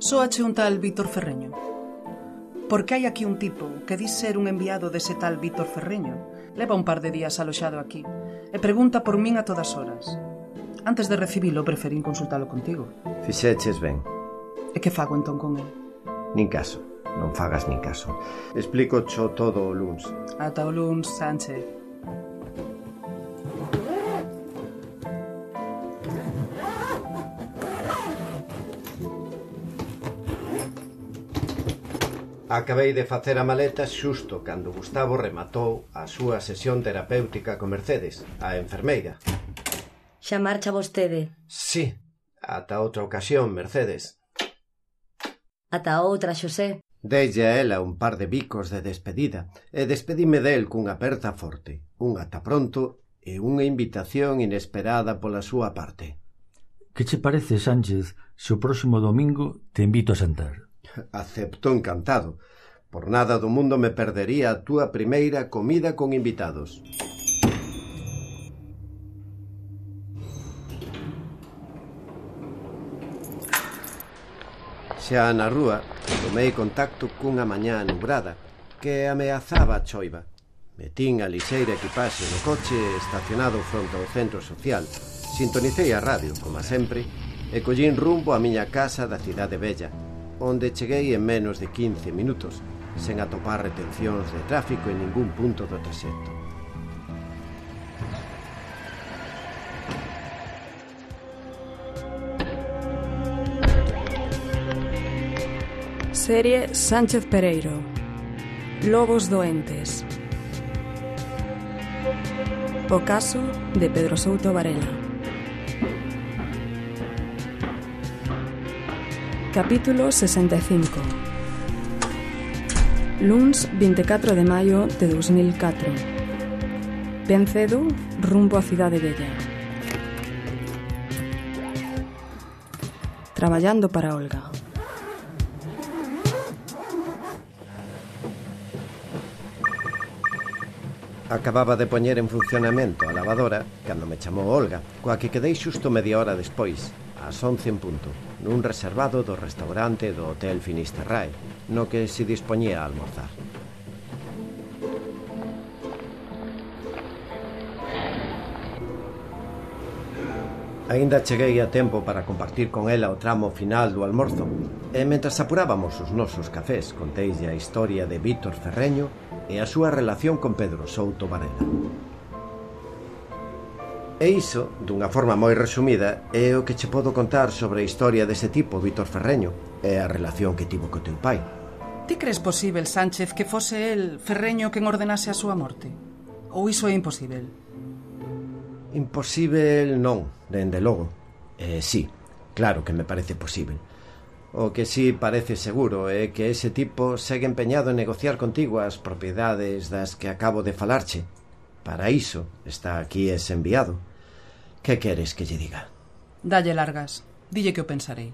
Sóache un tal Víctor Ferreño. Porque hai aquí un tipo que di ser un enviado dese tal Víctor Ferreño. Leva un par de días aloxado aquí e pregunta por min a todas horas. Antes de recibilo, preferín consultalo contigo. Fixeches ben. E que fago entón con el? Nin caso, non fagas nin caso. Explico cho todo o luns. Ata o luns, Sánchez. Acabei de facer a maleta xusto cando Gustavo rematou a súa sesión terapéutica con Mercedes, a enfermeira. Xa marcha vostede. Sí, ata outra ocasión, Mercedes. Ata outra, Xosé. Deille a ela un par de bicos de despedida e despedime del cunha aperta forte, un ata pronto e unha invitación inesperada pola súa parte. Que che parece, Sánchez, se o próximo domingo te invito a sentar? Acepto encantado. Por nada do mundo me perdería a túa primeira comida con invitados. Xa na rúa tomei contacto cunha mañá nubrada que ameazaba a choiva. Metín a lixeira equipaxe no coche estacionado fronte ao centro social. Sintonicei a radio, como sempre, e collín rumbo á miña casa da cidade vella, onde cheguei en menos de 15 minutos, sen atopar retencións de tráfico en ningún punto do traxecto. Serie Sánchez Pereiro. Lobos doentes. O caso de Pedro Souto Varela. Capítulo 65. Luns 24 de maio de 2004. Ben cedo, rumbo á cidade vella. Traballando para Olga. Acababa de poñer en funcionamento a lavadora cando me chamou Olga, coa que quedei xusto media hora despois, ás 11 en punto, nun reservado do restaurante do Hotel Finisterrae, no que se dispoñía a almorzar. Aínda cheguei a tempo para compartir con ela o tramo final do almorzo, e mentras apurábamos os nosos cafés conteille a historia de Víctor Ferreño e a súa relación con Pedro Souto Varela. E iso, dunha forma moi resumida, é o que che podo contar sobre a historia dese tipo, Víctor Ferreño, e a relación que tivo co teu pai. Ti crees posíbel, Sánchez, que fose el, Ferreño, quen ordenase a súa morte? Ou iso é imposíbel? Imposíbel non, dende logo. Sí, claro que me parece posíbel. O que sí parece seguro é que ese tipo segue empeñado en negociar contigo as propiedades das que acabo de falarche. Para iso está aquí ese enviado. Que queres que lle diga? Dalle largas. Dille que o pensarei.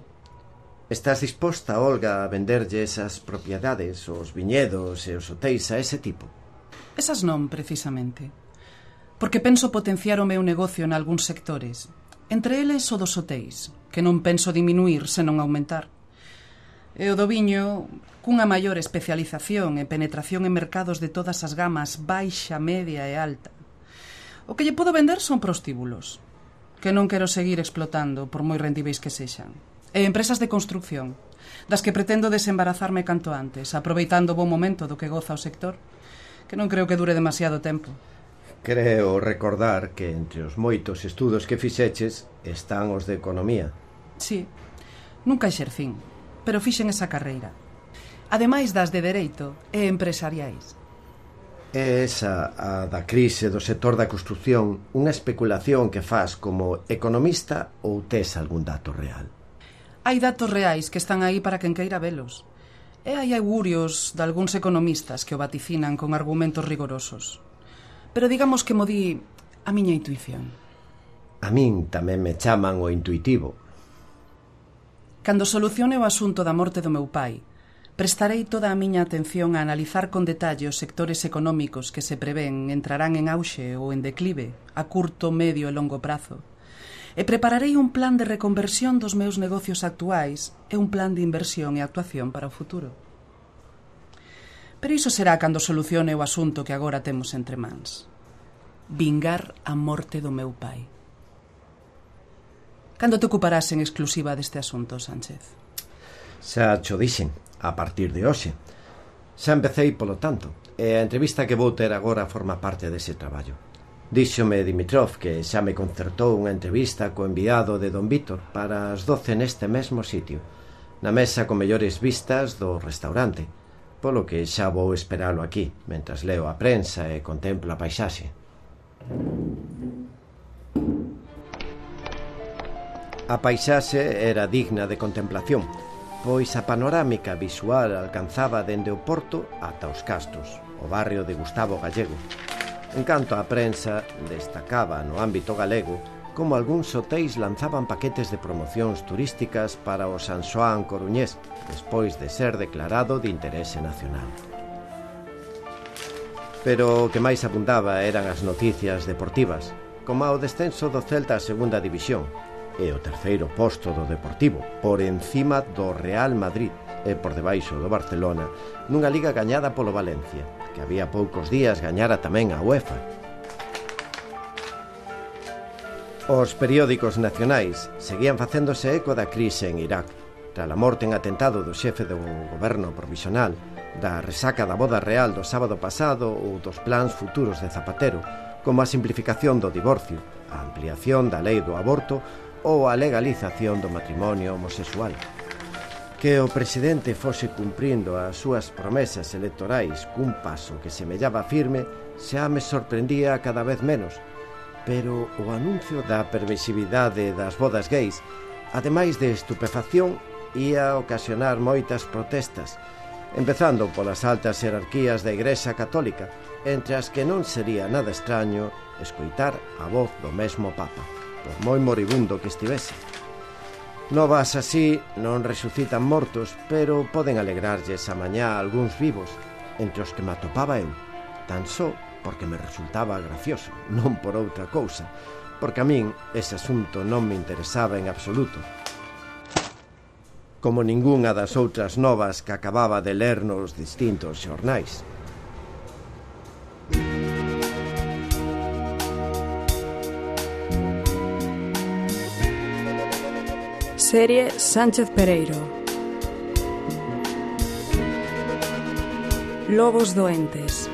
Estás disposta, Olga, a venderlle esas propiedades, os viñedos e os hotéis a ese tipo? Esas non, precisamente. Porque penso potenciar o meu negocio en algúns sectores. Entre eles o dos hotéis, que non penso diminuir, senón aumentar. E o do viño, cunha maior especialización e penetración en mercados de todas as gamas baixa, media e alta. O que lle podo vender son prostíbulos, que non quero seguir explotando, por moi rendíveis que sexan. E empresas de construcción, das que pretendo desembarazarme canto antes, aproveitando o bon momento do que goza o sector, que non creo que dure demasiado tempo. Creo recordar que entre os moitos estudos que fixeches están os de economía. Sí, nunca exercín, pero fixen esa carreira. Ademais das de dereito e empresariais. É esa, a da crise do sector da construción, unha especulación que faz como economista ou tes algún dato real? Hai datos reais que están aí para quen queira velos. E hai augurios de algúns economistas que o vaticinan con argumentos rigorosos. Pero digamos que mo di a miña intuición. A min tamén me chaman o intuitivo. Cando solucione o asunto da morte do meu pai, prestarei toda a miña atención a analizar con detalle os sectores económicos que se prevén entrarán en auxe ou en declive a curto, medio e longo prazo. e prepararei un plan de reconversión dos meus negocios actuais e un plan de inversión e actuación para o futuro. Pero iso será cando solucione o asunto que agora temos entre mans. Vingar a morte do meu pai. Cando te ocuparás en exclusiva deste asunto, Sánchez? Xa cho dixen, a partir de hoxe. Xa empecei polo tanto, e a entrevista que vou ter agora forma parte dese traballo. Díxome Dimitrov que xa me concertou unha entrevista co enviado de don Vítor para as 12 neste mesmo sitio, na mesa con mellores vistas do restaurante, polo que xa vou esperalo aquí, mentras leo a prensa e contemplo a paisaxe. A paisaxe era digna de contemplación, pois a panorámica visual alcanzaba dende o porto ata os castros, o barrio de Gustavo Gallego. En canto a prensa, destacaba no ámbito galego como algúns hotéis lanzaban paquetes de promocións turísticas para o San Xoán coruñés, despois de ser declarado de interese nacional. Pero o que máis abundaba eran as noticias deportivas, como o descenso do Celta a segunda división, e o terceiro posto do Deportivo, por encima do Real Madrid e por debaixo do Barcelona, nunha liga gañada polo Valencia, que había poucos días gañara tamén a UEFA. Os periódicos nacionais seguían facéndose eco da crise en Irak, tras a morte en atentado do xefe do goberno provisional, da resaca da boda real do sábado pasado ou dos plans futuros de Zapatero, como a simplificación do divorcio, a ampliación da lei do aborto ou a legalización do matrimonio homosexual. Que o presidente fose cumprindo as súas promesas electorais cun paso que semellaba firme xa me sorprendía cada vez menos, pero o anuncio da permisividade das bodas gays, ademais de estupefacción, ia ocasionar moitas protestas, empezando polas altas jerarquías da Igrexa Católica, entre as que non sería nada extraño escoitar a voz do mesmo Papa, por moi moribundo que estivese. Novas así non resucitan mortos, pero poden alegrarlles a mañá a algúns vivos, entre os que me atopaba eu, tan só porque me resultaba gracioso, non por outra cousa, porque a min ese asunto non me interesaba en absoluto, como ningunha das outras novas que acababa de ler nos distintos xornais. Serie Sánchez Pereiro. Lobos doentes.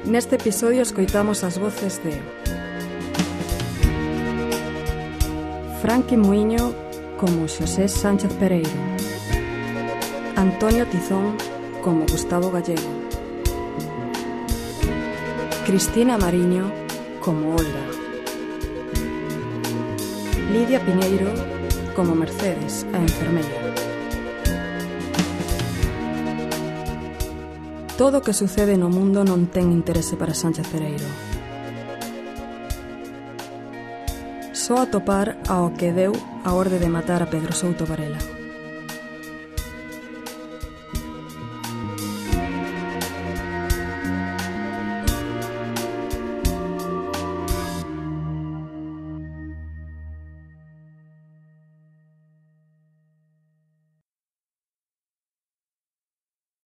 Neste episodio escoitamos as voces de Franqui Muiño como Xosé Sánchez Pereiro, Antonio Tizón como Gustavo Gallego, Cristina Mariño como Olga, Lidia Piñeiro como Mercedes, a enfermeira. Todo o que sucede no mundo non ten interese para Sánchez Pereiro. Só atopar ao que deu a orde de matar a Pedro Souto Varela.